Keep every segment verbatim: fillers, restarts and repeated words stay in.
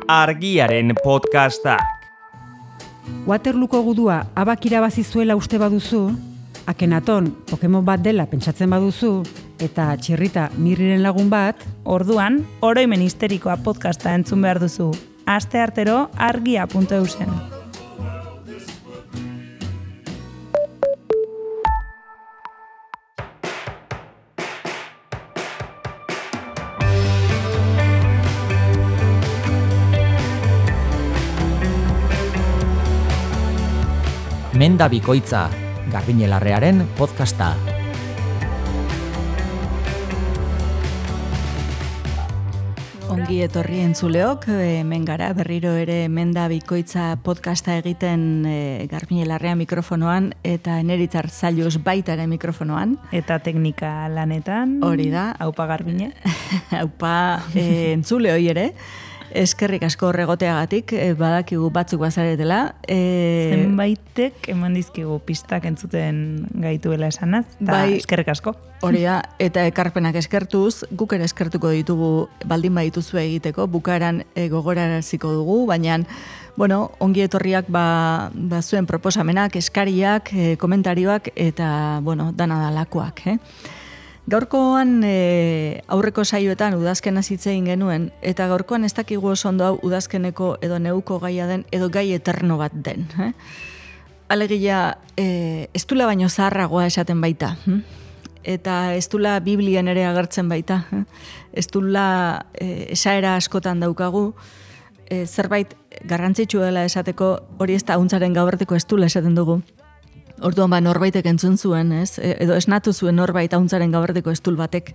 Argiaren podcastak. Waterlooko gudua abak irabazi zuela uste baduzu, Akenaton Pokemon bat dela pentsatzen baduzu, eta Txirrita Mirriren lagun bat, orduan, oroimen histerikoa podcasta entzun behar duzu. Aste artero argia puntu eusen. Menda bikoitza, Garbiñelarrearen podcasta. Ongi etorri entzuleok, hemen gara berriro ere Menda bikoitza podcasta egiten e, Garbiñelarrea mikrofonoan eta Eneritzar Zailuz baita ere mikrofonoan. Eta teknika lanetan. Hori da. Aupa Garbiñe. Aupa e, entzule hoi ere. Eskerrik asko horregoteagatik, e, badakigu batzuk bazaretela. E... Zenbaitek eman dizkigu pistak entzuten gaituela esanaz, eta bai, eskerrik asko. Hori da, eta ekarpenak eskertuz, guk ere eskertuko ditugu baldin badituzu egiteko, bukaeran e, gogoraraziko dugu, baina bueno, ongi etorriak ba, ba zuen proposamenak, eskariak, e, komentarioak, eta bueno, dana dalakoak, eh? Gaurkoan e, aurreko saioetan udazkena hitzein genuen, eta gaurkoan ez dakigu oso ondo hau udazkeneko edo neuko gaia den, edo gai eterno bat den. Eh? Alegia, e, estula baino zaharragoa esaten baita. Hm? Eta estula Biblian ere agertzen baita. Eh? Estula e, esaera askotan daukagu, e, zerbait garrantzitsu dela esateko, hori ez da hauntzaren gauerteko estula esaten dugu. Orduan ba norbaitek entzun zuen, ez? Edo esnatu zuen norbait hauntzaren gabardeko estul batek.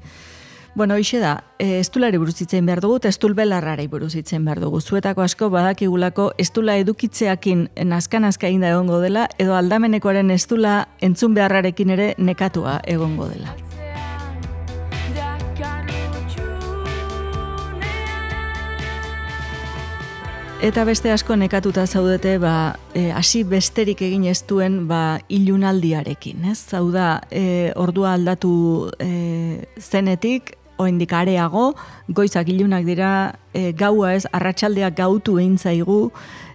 Bueno, hoxe da, estulari buruz hitzein behar dugu, eta estul belarrari buruz hitzein behar dugu. Zuetako asko badakigulako estula edukitzeakin nazka-nazka eginda egongo dela, edo aldamenekoaren estula entzun beharrarekin ere nekatua egongo dela. Eta beste asko nekatuta zaudete, ba, e, hasi besterik egin ez duen ba, ilunaldiarekin. Ez? Hau da, e, ordua aldatu e, zenetik, oraindik areago, goizak ilunak dira, e, gaua ez, arratsaldeak gautu egin zaigu,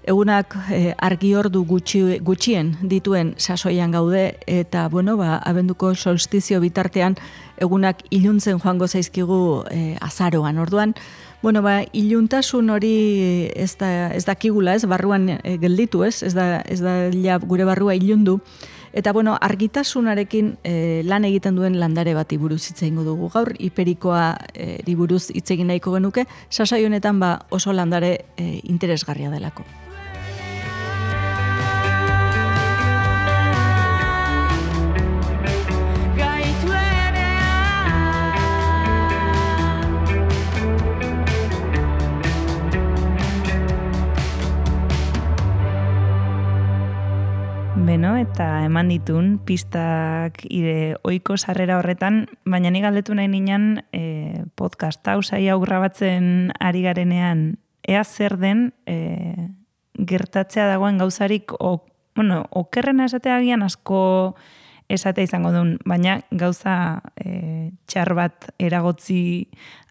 egunak e, argi ordu gutxi, gutxien dituen sasoian gaude, eta bueno, ba, abenduko solstizio bitartean egunak iluntzen joango zaizkigu e, azaroan. Orduan, bueno, ba, iluntasun hori ez da ez dakigula, ez barruan e, gelditu, ez? Ez da ez da ja gure barrua ilundu. Eta bueno, argitasunarekin e, lan egiten duen landare bati buruz hitz egingo dugu gaur, hiperikoa e, buruz hitz egin nahiko genuke, sasai honetan ba oso landare e, interesgarria delako. Beno, eta eman ditun pistak ire ohiko sarrera horretan, baina ni galdetu nahi ninan e, podcast hau saio hau grabatzen ari garenean, ea zer den e, gertatzea dagoen gauzarik, o, bueno, okerrena esatea agian asko esatea izango duen, baina gauza e, txar bat eragotzi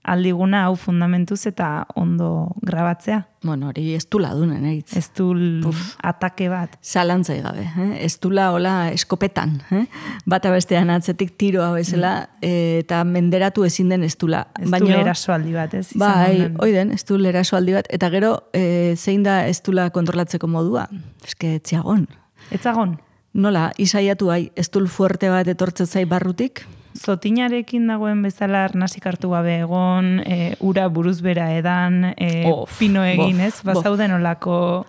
aldiguna hau fundamentuz eta ondo grabatzea. Bueno, hori ez dula dunen, eritz. Ez dul atake bat. Zalantzai gabe, eh? Ez dula hola eskopetan, eh? Bata bestean atzetik tiroa bezala, mm. eta menderatu ezin den ez dula. Ez dul erasoaldi bat, ez? Bai, oiden, ez dul erasoaldi bat, eta gero e, zein da ez dula kontrolatzeko modua? Eske, etziagon. Etzagon? Nola, isaiatu hai, ez dul fuerte bat etortzen zai barrutik? Zotinarekin dagoen bezala arnasik hartu gabe egon, e, ura buruz bera edan, e, of, pino egin, ez? Bazauden olako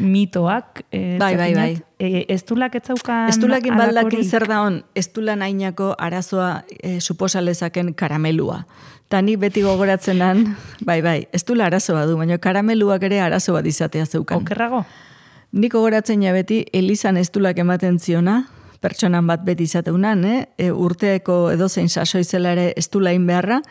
mitoak. E, bai, bai, bai. E, estulak etzaukan estulakin baldakin zer da hon, estula nainako arazoa e, suposalezaken karamelua. Ta ni beti gogoratzenan, bai, bai, estula arazoa du, baina karameluak ere arazo bat izatea zeukan. Okerrago? Nik gogoratzen ja beti, Elizan estulak ematen ziona, pertsonan bat beti izateunan, eh? E, urteeko edozein sasoizela ere estulain beharra,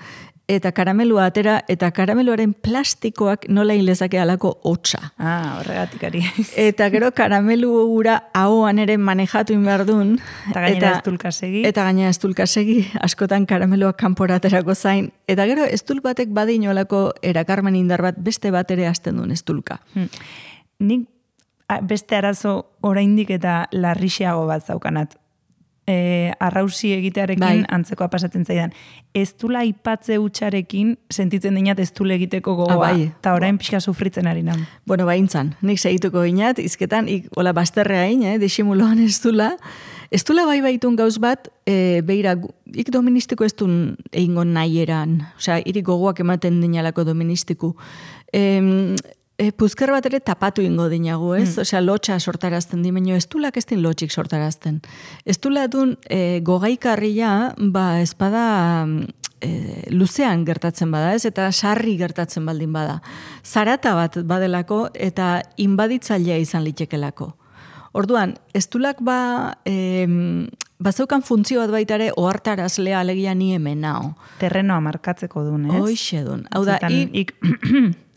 eta karamelua atera, eta karameluaren plastikoak nola inlezake alako hotza. Ah, horregatik ari. Eta gero karamelu gura ahoan ere manejatu inberdun. Eta gainera estulka segi. Eta gainera estulka segi, askotan karameluak kanporaterako zain. Eta gero estul batek badin olako erakarmen indar bat, beste bat ere hasten duen estulka. Hmm. Nik beste arazo oraindik eta larrixeago bat zaukanat. E, arrausi egitearekin bai. Antzekoa pasatzen zaidan. Ez dula aipatze hutsarekin sentitzen dinat ez dule egiteko gogoa. Ah, bai. Eta orain pixka sufritzen ari nan. Bueno, baintzan, nik segituko inat, izketan, ik, hola, bazterrea hain, eh, disimuloan ez dula. Ez dula bai baitun gauz bat, e, beira, ik doministiko ez duen egingo nahi eran. Osea, irik gogoak ematen dinalako doministiku. Em, E, puzker bat ere tapatu ingo dinagu, ez? Hmm. Osea, lotxa sortarazten dimenio, ez dulak ez din lotxik sortarazten. Ez dula dun e, gogaikarria, ba, espada e, luzean gertatzen bada, ez? Eta sarri gertatzen baldin bada. Zarata bat badelako eta inbaditzailea izan litzekelako. Orduan, ez dulak ba... E, bazeukan funtzio bat baita ere ohartarazlea alegia ni hemen nao. Terrenoa markatzeko dun, ez? Hoixe dun. Hau da, Zetan, i... ik...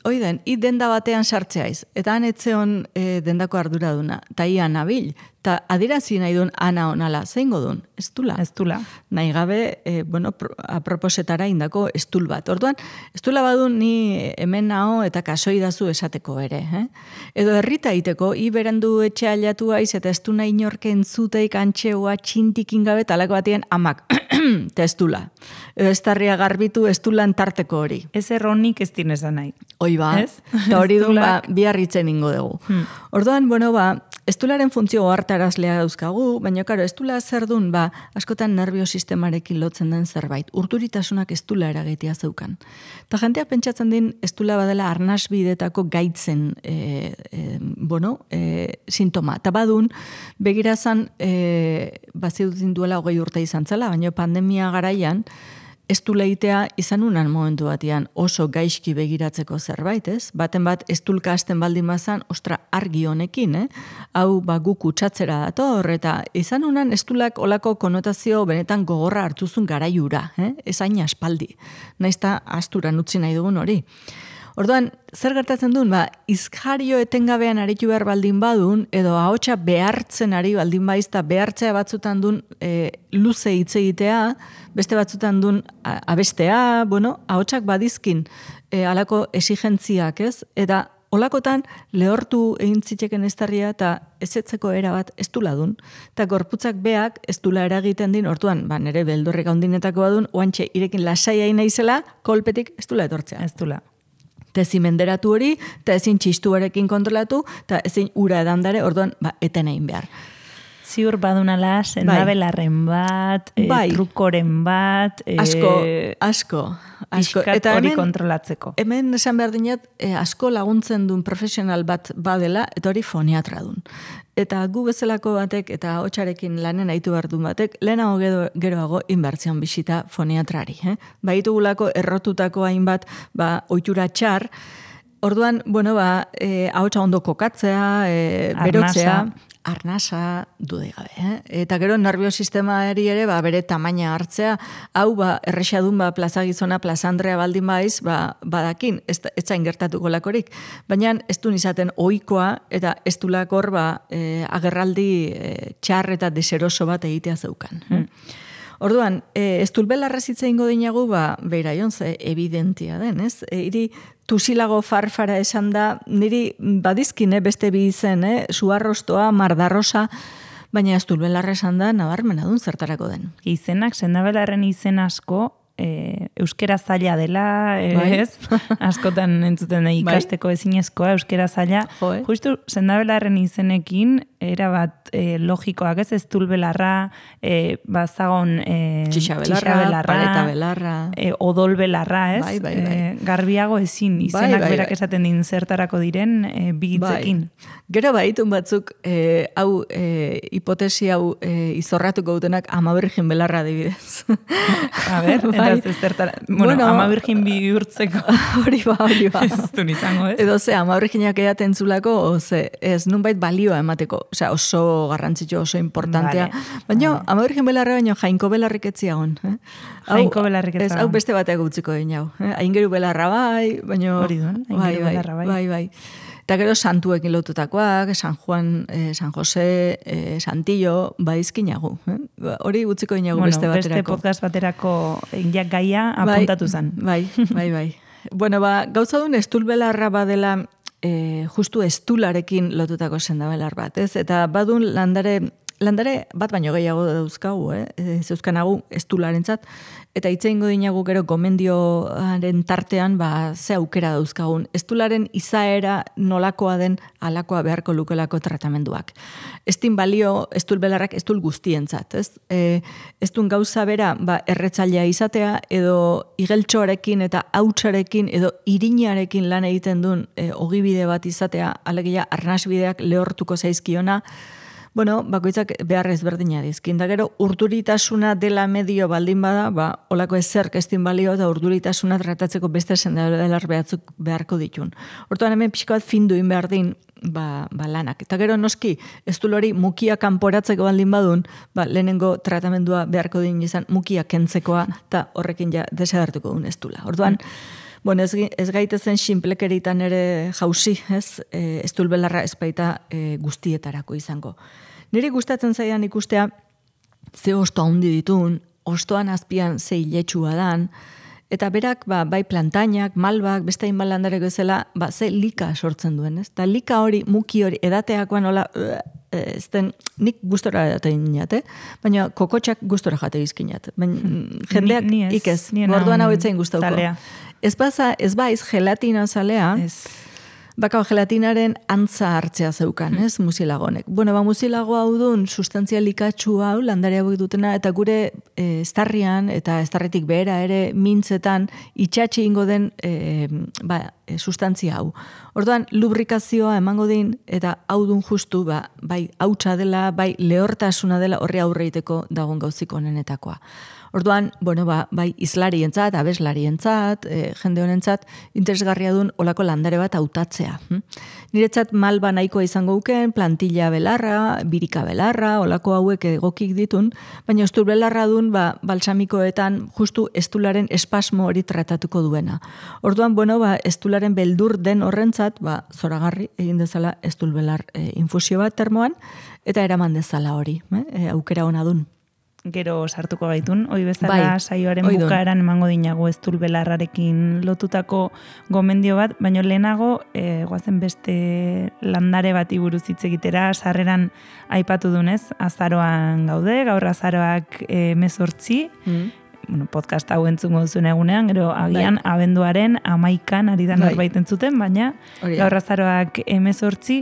Oiden, i denda batean sartzeaiz, eta han etzeon e, dendako arduraduna, eta ia nabil, eta adirazi nahi duen ana onala, zeingo duen, ez dula. Ez dula. Nahi gabe, e, bueno, aproposetara indako estul bat. Orduan, estula badun ni hemen nao eta kasoi dazu esateko ere. Eh? Edo herrita iteko, i berandu etxe aliatu aiz, eta ez du nahi inorken zuteik antxeua txintikin gabe, talako batien amak, eta ez dula. Edo ez tarria garbitu ez dulan tarteko hori. Ez erronik ez dinezan nahi. Hoi ba, Ez? eta hori duen ba, biarritzen ingo dugu. Hmm. Orduan, bueno, ba, estularen funtzio ohartarazlea dauzkagu, baina, karo, estula zer duen, ba, askotan nerviosistemarekin lotzen den zerbait. Urturitasunak estula eragetia zeukan. Eta jentea pentsatzen din, estula badela arnasbidetako gaitzen, e, e, bueno, e, sintoma. Eta badun, begirazan, e, bazidutin duela hogei urte izan zela, baina pandemia garaian, ez du leitea izan unan momentu batian oso gaizki begiratzeko zerbait, ez? Baten bat ez dulka hasten baldin bazan, ostra, argi honekin, eh? Hau, ba, gu kutsatzera dator, eta izan unan ez dulak olako konotazio benetan gogorra hartuzun garaiura, eh? Ez hain aspaldi. Naizta asturan utzi nahi dugun hori. Orduan, zer gertatzen duen, ba, izkario etengabean aritu behar baldin badun, edo ahotsa behartzen ari baldin baiz, eta behartzea batzutan duen e, luze hitz egitea, beste batzutan duen abestea, bueno, ahotsak badizkin e, alako esigentziak, ez? Eta olakotan lehortu egin zitzeken estarria eta ezetzeko era bat ez dula dun. Eta gorputzak beak ez dula eragiten din, orduan, ba, nere beldurrek handinetako badun, oantxe irekin lasai naizela, kolpetik ez dula etortzea. Ez dula. Eta ezin menderatu hori, eta ezin txistuarekin kontrolatu, eta ezin ura edandare, orduan, ba, eten egin behar. Ziur badunala, sendabelarren bat, bai. e, trukoren bat, e, asko, asko, asko. Eta hori kontrolatzeko. Hemen esan behar dinat, e, asko laguntzen duen profesional bat badela, eta hori foniatra duen. Eta gu bezalako batek, eta hotxarekin lanen aitu behar duen batek, lehenago gero, geroago inbertzion bisita foniatrari. Eh? Baitu gulako errotutako hainbat, ba, oitura txar, orduan, bueno, ba, e, ahotsa ondo kokatzea, e, berotzea, arnasa dude gabe. Eh? Eta gero nerviosistemari ere ba, bere tamaina hartzea, hau ba, errexadun ba, plaza gizona, plaza Andrea baldin baiz, ba, badakin, ez, ez zain gertatuko lakorik. Baina ez du izaten ohikoa eta ez du lakor ba, e, agerraldi e, txar eta deseroso bat egitea zeukan. Hmm. Orduan, e, ez dulbelarra zitza ingo dinagu, ba, beira jontze, evidentia den, ez? E, iri, tusilago farfara esan da, niri badizkin, eh, beste bi izen, eh, suarrostoa, mardarrosa, baina ez dulbelarra esan da, nabarmena dun zertarako den. Izenak, sendabelarren izen asko, e, euskera zaila dela, e, bai. ez? Askotan entzuten da ikasteko ezinezkoa, euskera zaila. Jo, eh? Justu, sendabelarren izenekin, era bat e, logikoak, ez ez dulbelarra, e, bazagon e, txixabelarra, paletabelarra, e, odolbelarra, ez? Bai, bai, bai. E, garbiago ezin, izenak bai, bai, berak bai. esaten din zertarako diren e, bigitzekin. Bai. Gero baitun batzuk, e, hau, e, hipotesi hau e, izorratuko dutenak ama bergin belarra adibidez. A ber, bai. Beraz, ez zertara, bueno, Bueno, ama virgin bihurtzeko. Hori ba, hori ba. Ez du izango, ez? Edo ze, ama virginak edaten zulako, o ze, ez nunbait balioa emateko. Osea, oso garrantzitsu, oso importantea. Vale. Baina, ama virgin belarra baino jainko belarrik etziagon. Eh? Hau- Jainko belarrik Ez, etziagon. hau beste bateak utziko din hau. Eh? Aingeru belarra bai, baino... Hori duen, aingeru bai, bai, belarra bai. Bai, bai. Eta gero santuekin lotutakoak, San Juan, eh, San Jose, eh, Santillo, baizkinagu. Eh? Ba, Hori utziko dinagu Bueno, beste beste baterako. podcast baterako injak gaia apuntatu zen. Bai, bai, bai. Bueno, ba, gauza duen estulbelarra badela eh, justu estularekin lotutako sendabelar bat, ez? Eta badun landare, landare bat baino gehiago dauzkagu, eh? E, zeuzkanagu estularentzat, eta hitze ingo dinagu gero gomendioaren tartean, ba, ze aukera dauzkagun. Estularen izaera nolakoa den alakoa beharko lukelako tratamenduak. Estin balio estulbelarrak estul guztientzat, ez? E, estun gauza bera, ba, erretzailea izatea, edo igeltxoarekin eta hautsarekin, edo irinarekin lan egiten duen e, ogibide bat izatea, alegia arnasbideak lehortuko zaizkiona, bueno, bakoitzak behar ezberdina dizkin. Da gero, urduritasuna dela medio baldin bada, ba, olako ezerk estin balio eta urduritasuna tratatzeko beste sendabelar behatzuk beharko ditun. Hortuan hemen pixka bat finduin behar din, ba, ba lanak. Eta gero noski, estul hori mukia kanporatzeko baldin badun, ba, lehenengo tratamendua beharko din izan mukia kentzekoa, eta horrekin ja desagertuko duen estula. Orduan, bueno, ez, ez gaitezen sinplekeritan ere jauzi, ez? E, estulbelarra espaita e, guztietarako izango. Niri gustatzen zaidan ikustea, ze osto handi ditun, ostoan azpian ze iletxua dan, eta berak, ba, bai plantainak, malbak, beste hainbat landareko ezela, ba, ze lika sortzen duen, ez? Eta lika hori, muki hori, edateakoan hola, ez den, nik gustora edatein inat, eh? Baina kokotxak gustora jate bizkinat. Baina jendeak Ni- ni ez, ikez, ni orduan enan hau etzain gustauko. zalea. Ez, baza, ez baiz gelatina zalea, Ez. bakau gelatinaren antza hartzea zeukan, ez, muzilagonek. Bueno, ba, muzilago hau dun sustantzia likatsu hau, landare hauek dutena, eta gure e, estarrian, eta estarritik behera ere mintzetan, itxatxe ingo den e, ba, e, sustantzia hau. Orduan, lubrikazioa emango din, eta hau dun justu, ba, bai hautsa dela, bai lehortasuna dela, horre aurreiteko dagoen gauzik onenetakoa. Orduan, bueno, ba, bai izlarientzat, abeslarientzat, e, jende honentzat, interesgarria duen olako landare bat hautatzea. Hm? Niretzat malba nahikoa izango uken, plantilla belarra, birika belarra, olako hauek egokik ditun, baina estul belarra duen, ba, balsamikoetan justu estularen espasmo hori tratatuko duena. Orduan, bueno, ba, estularen beldur den horrentzat, ba, zoragarri egin dezala estul belar e, infusio bat termoan, eta eraman dezala hori, eh? e, aukera ona dun. Gero sartuko gaitun, hoi bezala Bai, saioaren oidun. bukaeran emango dinago eztul belarrarekin lotutako gomendio bat, baina lehenago e, goazen beste landare bati buruz hitz egitera, sarreran aipatu dunez, azaroan gaude, gaur azaroak e, mezortzi, Mm. bueno, podcast hau entzungo duzuen egunean, gero agian Bai. abenduaren amaikan ari da Bai. norbait entzuten, baina Hori da. gaur azaroak emezortzi,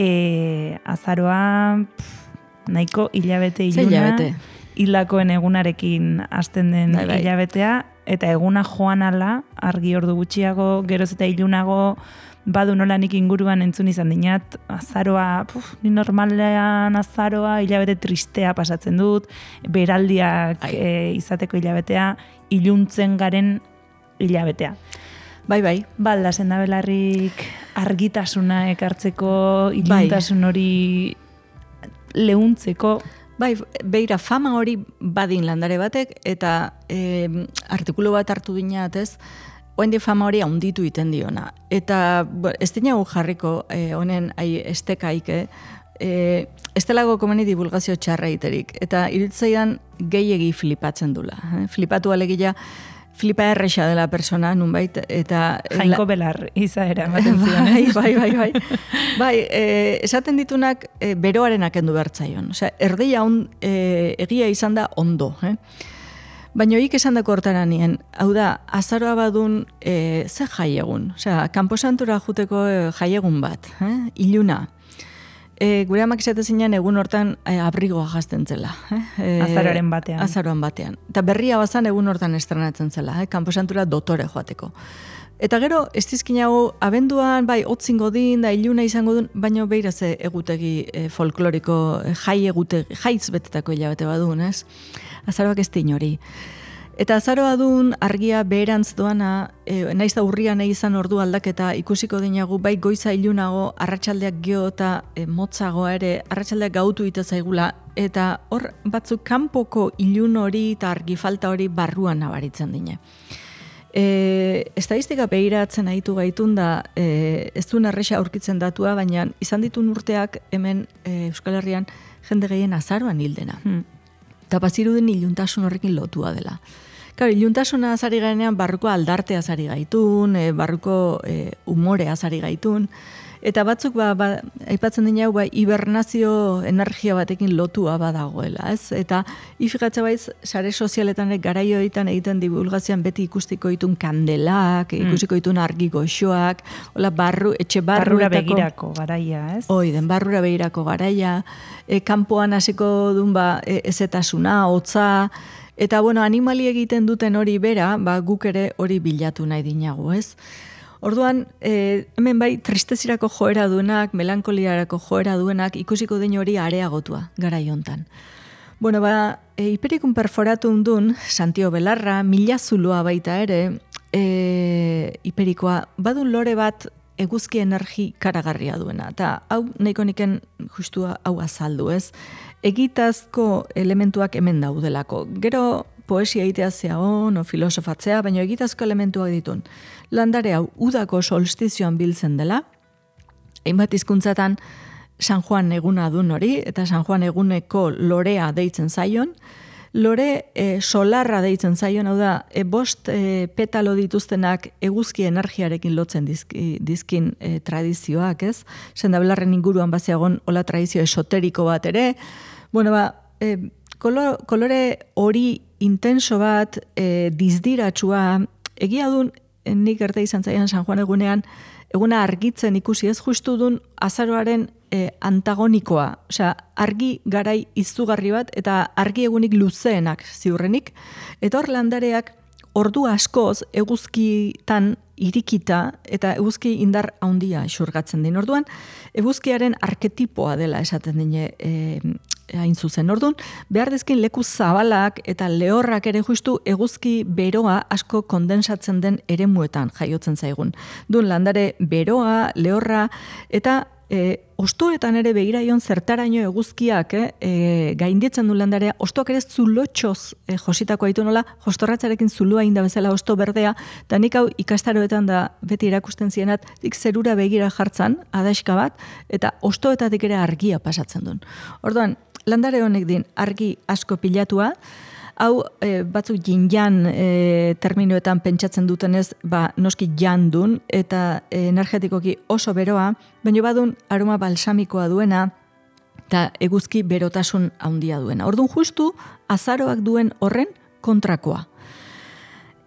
e, azaroa pff, nahiko hilabete Ze iluna, hilabete? hilakoen egunarekin hasten den Bai, bai. hilabetea, eta eguna joan ala, argi ordu gutxiago, geroz eta ilunago, badu nola nik inguruan entzun izan dinat, azaroa, puf, ni normalean azaroa, hilabete tristea pasatzen dut, beraldiak Ai. e, izateko hilabetea, iluntzen garen hilabetea. Bai, bai. Balda, sendabelarrik argitasuna ekartzeko, iluntasun hori leuntzeko, Bai, beira, fama hori badin landare batek, eta e, artikulu bat hartu dinat, ez, oendi fama hori haunditu iten diona. Eta bo, ez dinagu jarriko e, honen ai, estekaik, eh? e, ez delago komeni divulgazio txarra iterik. Eta iritzaidan gehiegi flipatzen dula. Eh? Flipatu alegia, flipa erresa dela persona, nunbait, eta... jainko belar izaera ematen zion, Bai, ez? bai, bai, bai. Bai, e, esaten ditunak e, beroarenak endu bertzaion. Osea, erdia on, e, egia izan da ondo, eh? Baina hoik esan dako hortara nien, hau da, azaroa badun e, ze jaiegun. Osea, kanposantura juteko e, jaiegun bat, eh? Iluna. E, gure amak esate zinean egun hortan e, abrigoa jazten zela. Eh? E, Azaroaren batean. Azaroan batean. Eta berria bazan egun hortan estrenatzen zela, eh? Kanposantura dotore joateko. Eta gero, ez dizkinago, abenduan, bai, otzingo din, da iluna izango duen, baina beira ze egutegi e, folkloriko, e, jai egutegi, jaiz betetako hilabete badun, ez? Azaroak ez din hori. Eta azaroa dun argia beherantz doana, e, naiz da urria nahi izan ordu aldaketa ikusiko dinagu, bai goiza ilunago, arratsaldeak geo eta e, motzagoa ere, arratsaldeak gautu ite zaigula, eta hor batzuk kanpoko ilun hori eta argi falta hori barruan nabaritzen dine. E, estadistika behiratzen ahitu gaitun da, e, ez duen erresa aurkitzen datua, baina izan ditun urteak hemen e, Euskal Herrian jende gehien azaroan hildena. Hmm. Eta baziruden iluntasun horrekin lotua dela. Claro, iluntasuna azari garenean barruko aldartea azari gaitun, e, barruko e, umorea azari gaitun, eta batzuk ba, ba, aipatzen dina hau ba, hibernazio energia batekin lotua badagoela, ez? Eta ifikatza baiz, sare sozialetan garaioetan egiten divulgazioan beti ikustiko ditun kandelak, mm. ikustiko ditun argi goxoak, hola barru, etxe barruetako... Barrura begirako garaia, ez? Hoi, den barrura begirako garaia, e, kanpoan hasiko dun ba, e, ezetasuna, hotza, eta bueno, animali egiten duten hori bera, ba, guk ere hori bilatu nahi dinagu, ez? Orduan, e, hemen bai, tristezirako joera duenak, melankoliarako joera duenak, ikusiko den hori areagotua, garai hontan. Bueno, ba, e, hiperikun perforatun dun, Santio Belarra, mila zuloa baita ere, e, hiperikoa, badun lore bat eguzki energi karagarria duena. Eta hau, nahiko niken justua hau azaldu, ez? Egitazko elementuak hemen daudelako. Gero, poesia egitea zeagon, o filosofatzea, baina egitazko elementuak ditun. Landare hau, udako solstizioan biltzen dela, hainbat hizkuntzatan San Juan eguna dun hori, eta San Juan eguneko lorea deitzen zaion, lore e, solarra deitzen zaion, hau da, e, bost e, petalo dituztenak eguzki energiarekin lotzen dizki, dizkin e, tradizioak, ez? Sendabelarren inguruan bazeagon hola tradizio esoteriko bat ere, bueno, ba, e, kolor, kolore hori intenso bat, e, dizdiratsua, egia dun, nik erte izan zaian San Juan egunean, eguna argitzen ikusi ez justu dun azaroaren e, antagonikoa, osea, argi garai izugarri bat, eta argi egunik luzeenak ziurrenik, eta hor landareak ordu askoz eguzkitan irikita eta eguzki indar handia xurgatzen din. Orduan, eguzkiaren arketipoa dela esaten dine e, hain zuzen. Orduan, behar dizkin leku zabalak eta lehorrak ere justu eguzki beroa asko kondensatzen den eremuetan jaiotzen zaigun. Dun landare beroa, lehorra, eta e, ostoetan ere begiraion zertaraino eguzkiak eh, e, gainditzen du landarea, ostoak ere zulotxoz e, jositako haitu nola, jostorratzarekin zulua inda bezala osto berdea, eta nik hau ikastaroetan da beti erakusten zienat, dik zerura begira jartzan, adaxka bat, eta ostoetatik ere argia pasatzen duen. Orduan, landare honek din argi asko pilatua, hau e, batzuk jin-jan e, terminoetan pentsatzen dutenez, ba, noski jandun eta e, energetikoki oso beroa, baina badun aroma balsamikoa duena eta eguzki berotasun handia duena. Orduan justu azaroak duen horren kontrakoa.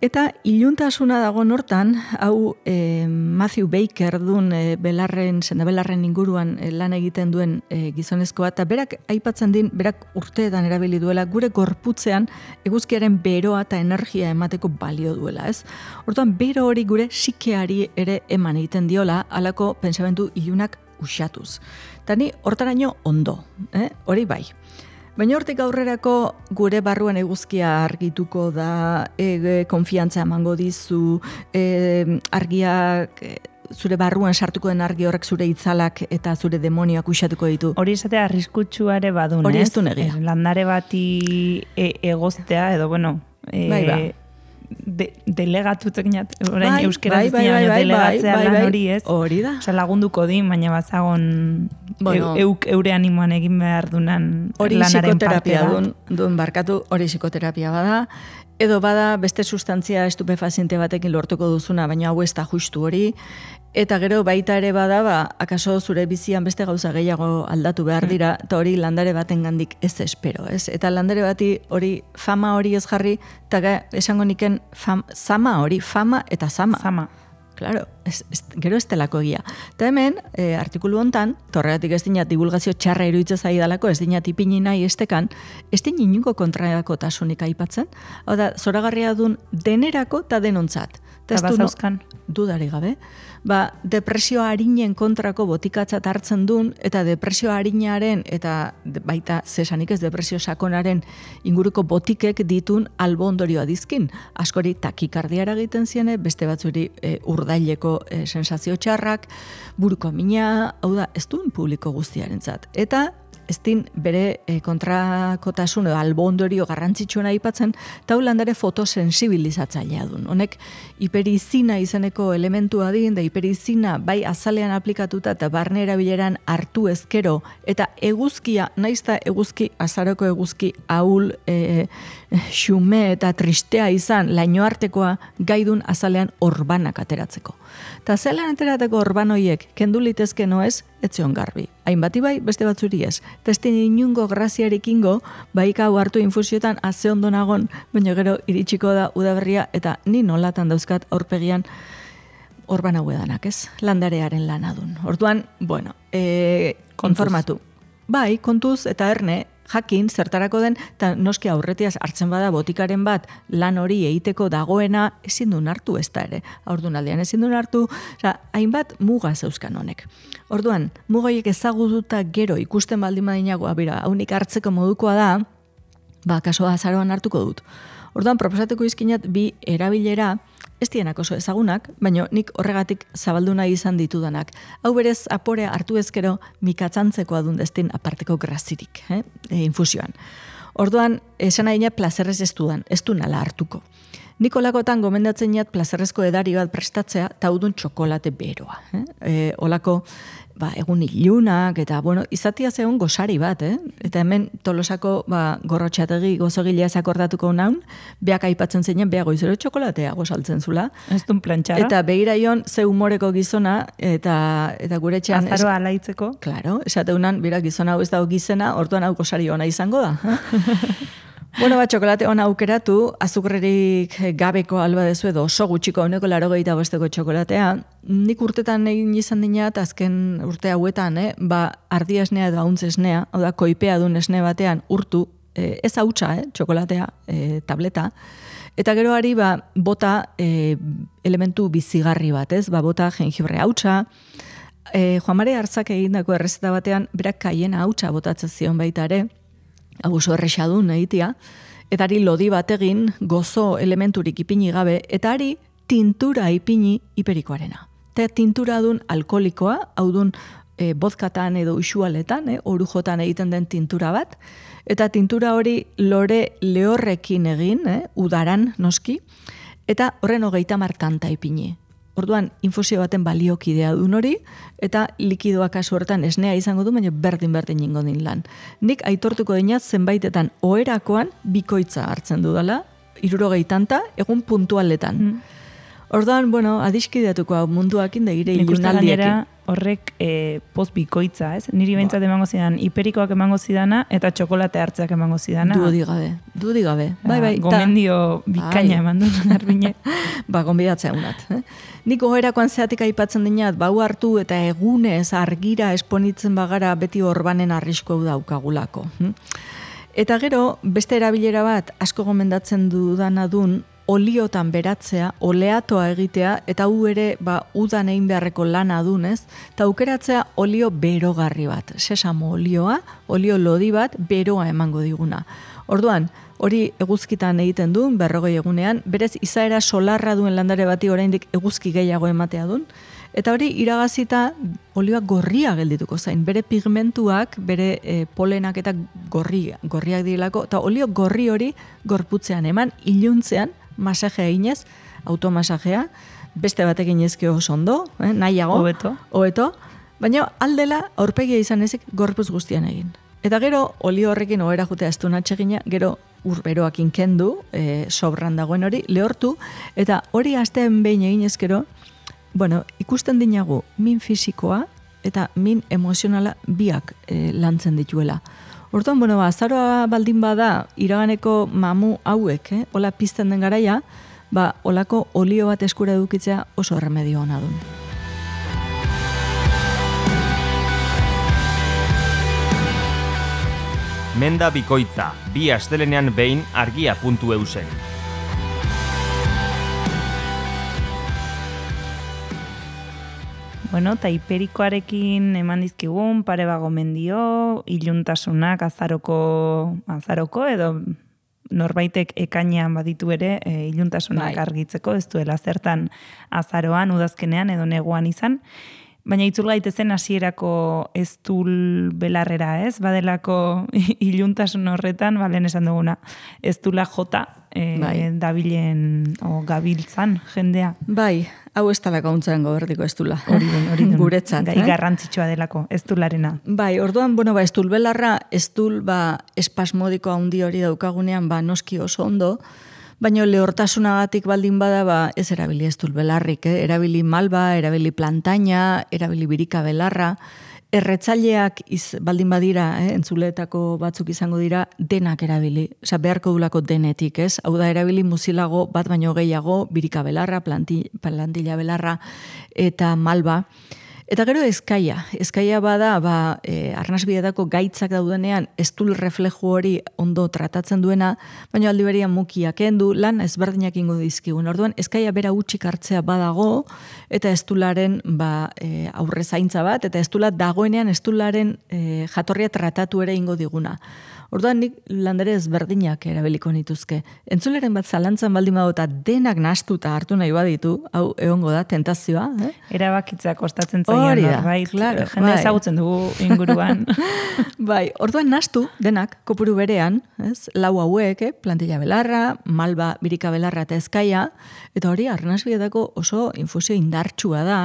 Eta iluntasuna dago hortan, hau e, Matthew Baker duen e, belarren, sendabelarren inguruan e, lan egiten duen e, gizonezkoa, eta berak aipatzen din, berak urteetan erabili duela, gure gorputzean eguzkiaren beroa eta energia emateko balio duela, ez? Hortan, bero hori gure sikeari ere eman egiten diola, halako pentsamentu ilunak usatuz. Eta ni hortaraino ondo, eh? Hori bai. Baina hortik aurrerako gure barruan eguzkia argituko da, e, konfiantza emango dizu, e, argiak, e, zure barruan sartuko den argi horrek zure itzalak eta zure demonioak usatuko ditu. Hori izatea arriskutsua ere badun, hori ez? ez du negia. Landare bati e, egoztea, edo bueno... E, bai, ba. De, delegatutzek nat, orain bai, euskeraz bai, ez bai, dira, bai, delegatzea bai, lan bai, hori, ez? Hori da. Osa, lagunduko din, baina bazagon bueno, euk eure animoan egin behar dunan hori lanaren parte psikoterapia da. duen, duen barkatu, hori psikoterapia bada, edo bada beste sustantzia estupefaziente batekin lortuko duzuna, baina hau ez da justu hori, eta gero baita ere bada, ba, akaso zure bizian beste gauza gehiago aldatu behar dira, eta hori landare baten gandik ez espero, ez? Eta landare bati hori fama hori ez jarri, eta esango niken fam, zama hori, fama eta zama. Zama. Claro, ez, ez, gero ez telako egia. Eta hemen, e, artikulu hontan, torregatik ez dinat divulgazio txarra iruditzen zaidalako, ez dinat ipini nahi estekan, ez din inungo kontrako tasunik aipatzen, hau da, zoragarria dun denerako eta denontzat. Eta bazauzkan? Dudari gabe. Ba, depresio arinen kontrako botikatzat hartzen duen, eta depresio arinaren, eta baita zesanik ez depresio sakonaren inguruko botikek ditun albo ondorioa dizkin. Askori takikardiara egiten ziene, beste batzuri e, urdaileko e, sensazio txarrak, buruko mina, hau da, ez duen publiko guztiarentzat. Eta ez din bere e, kontrakotasun edo albo ondorio garrantzitsuena aipatzen, eta landare fotosensibilizatzailea duen. Honek hiperizina izeneko elementua din, da hiperizina bai azalean aplikatuta eta barne erabileran hartu ezkero, eta eguzkia, naizta eguzki, azaroko eguzki ahul, e, xume eta tristea izan, laino artekoa gaidun azalean orbanak ateratzeko. Eta azalean aterateko orban hoiek kendu litezke noez, etzion garbi. Hainbati bai, beste batzuri ez. Eta ez den inungo graziarekingo, bai hau hartu infusiotan aze ondo nagon, baina gero iritsiko da udaberria, eta ni nolatan dauzkat aurpegian orban hau edanak, ez? Landarearen lanadun. Orduan, bueno, e, informatu. Bai, kontuz eta erne, jakin, zertarako den, eta noski aurretiaz hartzen bada botikaren bat lan hori egiteko dagoena ezin duen hartu ez da ere. Orduan aldean ezin duen hartu, oza, hainbat muga zeuzkan honek. Orduan, mugaiek ezagututa gero ikusten baldin badinago, abira, haunik hartzeko modukoa da, ba, kaso azaroan hartuko dut. Orduan, proposatuko izkinat bi erabilera, ez dienak oso ezagunak, baina nik horregatik zabaldu nahi izan ditudanak. Hau berez aporea hartu ezkero mikatzantzeko adundestin aparteko grazirik, eh? e, infusioan. Orduan, esan nahi plazerrez ez dudan, ez du nala hartuko. Nik olakotan gomendatzen jat plazerrezko edari bat prestatzea, eta udun txokolate beroa. Eh? E, olako, ba, egun ilunak, eta, bueno, izatia zegoen gosari bat, eh? Eta hemen tolosako, ba, gorrotxategi gozogilea zakordatuko naun, beak aipatzen zeinen, beak goizero txokolatea gosaltzen zula. Ez duen plantxara. Eta behira ion, ze humoreko gizona, eta, eta gure txan... Azaroa alaitzeko. Claro, esateunan, bera gizona hau ez dago gizena, orduan hau gosari ona izango da. Bueno, ba, txokolate ona aukeratu, azukrerik gabeko alba dezu edo oso gutxiko honeko larogeita bosteko txokolatea. Nik urtetan egin izan dinat, azken urte hauetan, eh? Ba, ardi esnea edo hauntz esnea, hau da, koipea duen esne batean urtu, eh, ez hautsa, eh? Txokolatea, eh, tableta. Eta gero ari, ba, bota eh, elementu bizigarri bat, ez? Ba, bota jengibre hautsa. Eh, Juan Mare Arzak egindako errezeta batean, berak kaiena hautsa botatzen zion baita ere, hau oso errexadun egitea, eta ari lodi bategin gozo elementurik ipini gabe, eta ari tintura ipini hiperikoarena. Eta tintura dun alkoholikoa, hau dun e, vodkatan edo usualetan, e, orujotan egiten den tintura bat, eta tintura hori lore lehorrekin egin, e, udaran noski, eta horren hogeita martanta ipini. Orduan, infusio baten baliokidea duen hori, eta likidoa kasu hortan esnea izango du, baina berdin-berdin ingo din lan. Nik aitortuko dinat zenbaitetan oherakoan bikoitza hartzen dudala, hirurogeitanta, egun puntualetan. Mm. Orduan, bueno, adiskideatuko hau munduakin da gire ilunaldiekin. Horrek e, poz bikoitza, ez? Niri behintzat emango zidan, hiperikoak emango zidana, eta txokolate hartzeak emango zidana. Dudi gabe, dudi gabe. Bai, bai, gomendio bikaina eman duen arbine. Ba, gonbidatzea unat. Eh? Nik oherakoan zeatik aipatzen dinat, bau hartu eta egunez argira esponitzen bagara beti orbanen arrisko daukagulako. Eta gero, beste erabilera bat, asko gomendatzen dudana dun, oliotan beratzea, oleatoa egitea, eta hu ere ba, udan egin beharreko lana dunez, eta aukeratzea olio berogarri bat. Sesamo olioa, olio lodi bat, beroa emango diguna. Orduan, hori eguzkitan egiten duen, berrogei egunean, berez izaera solarra duen landare bati oraindik eguzki gehiago ematea duen, eta hori iragazita olioa gorria geldituko zain, bere pigmentuak, bere e, polenak eta gorri, gorriak direlako, eta olio gorri hori gorputzean eman, iluntzean, masajea inez, automasajea, beste batekin ezke oso ondo, eh, nahiago, hobeto, hobeto, baina aldela aurpegia izan ezik gorpuz guztian egin. Eta gero, olio horrekin ohera jutea ez du natxegina, gero urberoakin kendu, e, sobran dagoen hori, lehortu, eta hori astean behin egin ezkero, bueno, ikusten dinagu min fisikoa eta min emozionala biak e, lantzen dituela. Orduan, bueno, ba, azaroa baldin bada iraganeko mamu hauek, eh, hola pizten den garaia, ba, holako olio bat eskura edukitzea oso erremedio ona dun. Menda bikoitza, bi astelenean behin argia puntu eusen. Bueno, eta hiperikoarekin eman dizkigun, pare bago mendio, iluntasunak azaroko, azaroko edo norbaitek ekainean baditu ere e, iluntasunak Bai. argitzeko, ez duela zertan azaroan, udazkenean edo neguan izan. Baina itzul gaitezen hasierako eztul belarrera, ez? Badelako iluntasun horretan, balen esan duguna, eztula jota e, Bai. dabilen o gabiltzan jendea. Bai, hau ez talako hauntzaren goberdiko ez dula. Hori den, hori den. Guretzat, Gai eh? garrantzitsua delako, eztularena. Bai, orduan, bueno, ba, estul belarra, estul, ba, espasmodiko handi hori daukagunean, ba, noski oso ondo, baina lehortasunagatik baldin bada, ba, ez erabili estul belarrik, eh? Erabili malba, erabili plantaina, erabili birika belarra, erretzaileak iz, baldin badira, eh? Entzuleetako batzuk izango dira, denak erabili, osea, beharko dulako denetik, ez? Hau da, erabili muzilago bat baino gehiago, birika belarra, planti, plantilla belarra, eta malba. Eta gero ezkaia. Ezkaia bada, ba, e, arnasbietako gaitzak daudenean, estul refleju hori ondo tratatzen duena, baina aldi berian mukiak kendu, lan ezberdinak ingo dizkigun. Orduan, ezkaia bera utxik hartzea badago, eta estularen ba, e, aurre zaintza bat, eta estula dagoenean estularen e, jatorria tratatu ere ingo diguna. Orduan nik landare ezberdinak erabiliko nituzke. Entzuleren bat zalantzan baldin badu eta denak nahastuta hartu nahi baditu, hau egongo da, tentazioa. Eh? Erabakitzea kostatzen zaion Hori da, norbait, claro, jende bai. ezagutzen dugu inguruan. Bai, orduan nahastu denak kopuru berean, ez? Lau hauek, eh? Plantilla belarra, malba, birika belarra eta ezkaia, eta hori arnasbietako oso infusio indartsua da,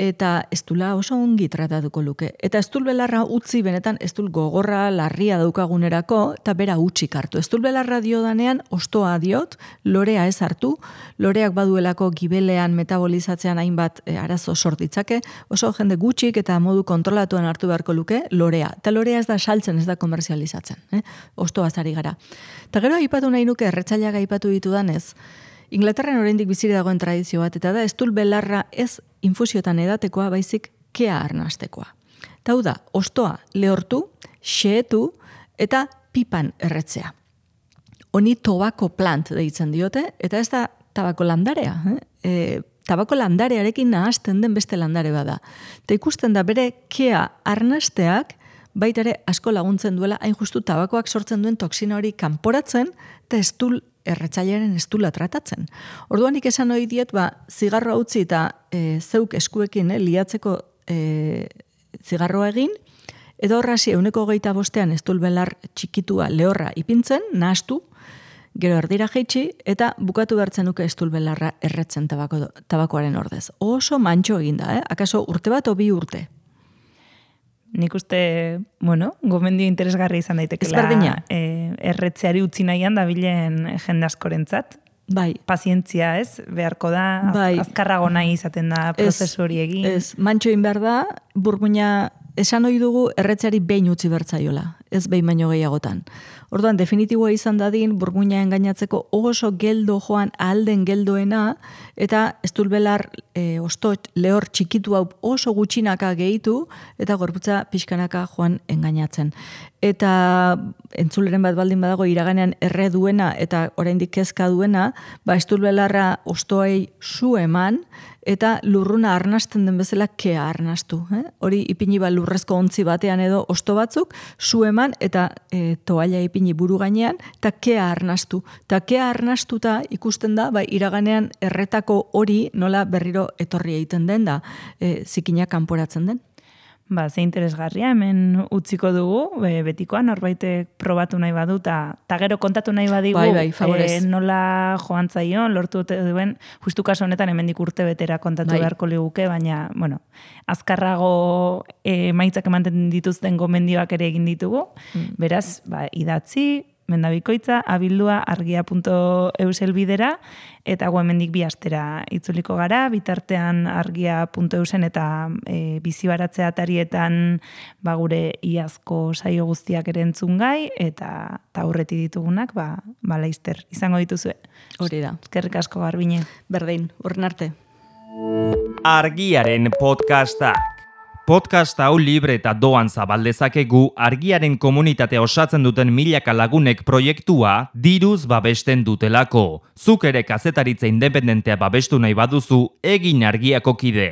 eta estula oso ongi tratatuko luke. Eta estul belarra utzi benetan estul gogorra, larria daukagunerako, eta bera utxik hartu. Estul belarra diodanean, ostoa diot, lorea ez hartu, loreak baduelako gibelean metabolizatzean hainbat e, arazo sortitzake, oso jende gutxik eta modu kontrolatuan hartu beharko luke, lorea. Eta lorea ez da saltzen, ez da komerzializatzen. Eh? Ostoa zari gara. Eta gero aipatu nahi nuke, erretzaileak aipatu ditudanez, Inglaterran oraindik bizire dagoen tradizio bat, eta da estul belarra ez infusiotan edatekoa, baizik kea arnastekoa. Eta hau da, ostoa lehortu, xehetu eta pipan erretzea. Honi tobako plant deitzen diote, eta ez da tabako landarea. Eh? E, tabako landarearekin nahasten den beste landare bada. Eta ikusten da bere kea arnasteak baita ere asko laguntzen duela, hain justu tabakoak sortzen duen toksina hori kanporatzen, eta estul erretzailearen estula tratatzen. Orduan nik esan ohi diet, ba, zigarroa utzi eta e, zeuk eskuekin eh, liatzeko e, zigarroa egin, edo horrasi euneko hogeita bostean estul belar txikitua lehorra ipintzen, nahastu, gero erdira jaitsi, eta bukatu behartzen nuke estul belarra erretzen tabako, tabakoaren ordez. Oso mantxo eginda, eh? Akaso urte bat o bi urte. Nik uste, bueno, gomendio interesgarri izan daitekela Ezberdina. e, erretzeari utzi nahian dabilen jende askorentzat. Bai. Pazientzia, ez? Beharko da, az, Bai. azkarrago nahi izaten da prozesu hori egin. Ez, mantxo egin behar da, burmuina esan ohi dugu erretzeari behin utzi bertzaiola, ez behin baino gehiagotan. Orduan, definitiboa izan dadin, burmuina engainatzeko oso geldo joan alden geldoena, eta estulbelar e, ostot lehor txikitu hau oso gutxinaka gehitu, eta gorputza pixkanaka joan engainatzen. Eta entzuleren bat baldin badago iraganean erre duena eta oraindik kezka duena, ba estulbelarra ostoei su eman, eta lurruna arnasten den bezala kea arnastu. Eh? Hori ipini ba lurrezko ontzi batean edo osto batzuk, su eman eta e, toalla ipini buru gainean, eta kea arnastu. Eta kea arnastuta ikusten da, ba, iraganean erretako hori nola berriro etorri egiten den da, e, zikina kanporatzen den. Ba, ze interesgarria, hemen utziko dugu, be, betikoan, norbaitek probatu nahi badu, eta gero kontatu nahi badigu, Bai, bai, favorez. e, nola joan zaion, lortu duen, justu kaso honetan hemendik urte betera kontatu Bai. beharko liguke, baina, bueno, azkarrago e, maitzak ematen dituzten gomendioak ere egin ditugu, Mm. beraz, ba, idatzi, mendabikoitza, abildua argia punto eus elbidera, eta gu hemendik bi astera itzuliko gara, bitartean argia punto eusen eta e, bizibaratzea atarietan ba, gure iazko saio guztiak ere entzun gai, eta taurreti ditugunak, ba, ba laizter, izango dituzue. Hori da. Eskerrik asko Garbine. Berdin, urren arte. Argiaren podcastak. Podcast hau libre eta doan zabaldezakegu argiaren komunitatea osatzen duten milaka lagunek proiektua diruz babesten dutelako. Zuk ere kazetaritza independentea babestu nahi baduzu, egin argiako kide.